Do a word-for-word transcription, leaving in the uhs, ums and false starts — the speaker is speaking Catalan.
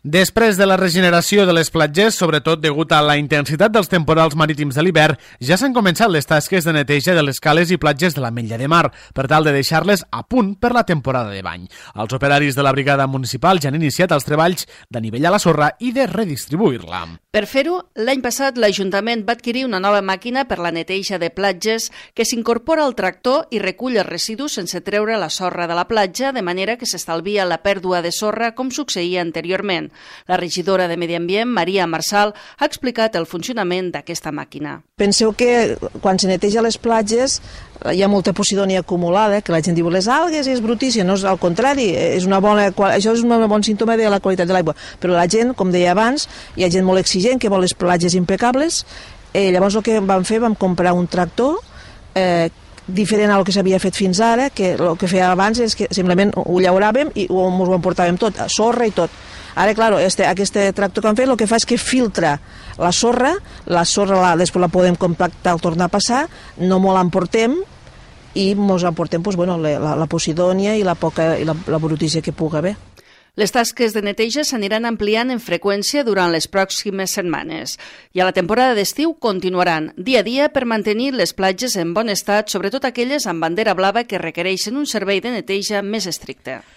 Després de la regeneració de les platges, sobretot degut a la intensitat dels temporals marítims de l'hivern, ja s'han començat les tasques de neteja de les cales i platges de l'Ametlla de Mar, per tal de deixar-les a punt per la temporada de bany. Els operaris de la brigada municipal ja han iniciat els treballs d'anivellar la sorra i de redistribuir-la. Per fer-ho, l'any passat l'Ajuntament va adquirir una nova màquina per la neteja de platges que s'incorpora al tractor i recull els residus sense treure la sorra de la platja, de manera que s'estalvia la pèrdua de sorra com succeïa anteriorment. La regidora de Medi Ambient, Maria Marçal, ha explicat el funcionament d'aquesta màquina. Penseu que quan se neteja les platges hi ha molta posidònia acumulada, que la gent diu les algues és brutícia, no és al contrari, és una bona, això és un bon símptoma de la qualitat de l'aigua, però la gent, com deia abans, hi ha gent molt exigent que vol les platges impecables, eh, llavors el que vam fer, vam comprar un tractor eh, diferent al que s'havia fet fins ara, que el que feia abans és que simplement ho llauràvem i ho, ho emportàvem tot, sorra i tot. Ara, clar, este, aquest tractor que han fet el que fa és que filtra la sorra, la sorra la, després la podem compactar al tornar a passar, no molt l'emportem i ens emportem doncs, bueno, la, la posidònia i la poca i la, la brutícia que pugui haver. Les tasques de neteja s'aniran ampliant en freqüència durant les pròximes setmanes i a la temporada d'estiu continuaran dia a dia per mantenir les platges en bon estat, sobretot aquelles amb bandera blava que requereixen un servei de neteja més estricte.